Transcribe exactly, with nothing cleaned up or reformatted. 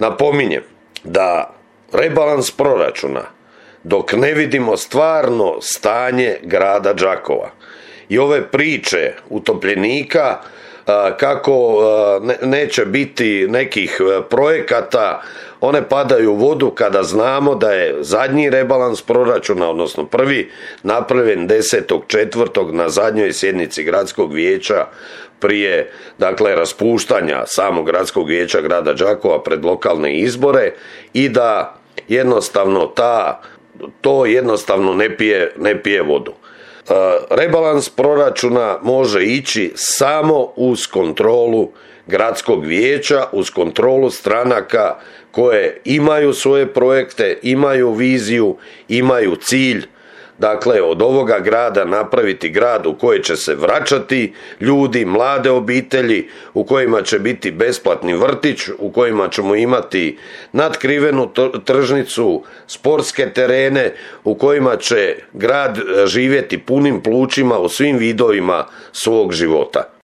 Napominjem da rebalans proračuna, dok ne vidimo stvarno stanje grada Đakova i ove priče utopljenika kako neće biti nekih projekata, one padaju u vodu kada znamo da je zadnji rebalans proračuna, odnosno prvi, napravljen desetog četvrtog na zadnjoj sjednici gradskog vijeća prije, dakle, raspuštanja samog gradskog vijeća grada Đakova pred lokalne izbore, i da jednostavno ta, to jednostavno ne pije, ne pije vodu. Rebalans proračuna može ići samo uz kontrolu gradskog vijeća, uz kontrolu stranaka koje imaju svoje projekte, imaju viziju, imaju cilj, dakle, od ovoga grada napraviti grad u koji će se vraćati ljudi, mlade obitelji, u kojima će biti besplatni vrtić, u kojima ćemo imati natkrivenu tržnicu, sportske terene, u kojima će grad živjeti punim plućima u svim vidovima svog života.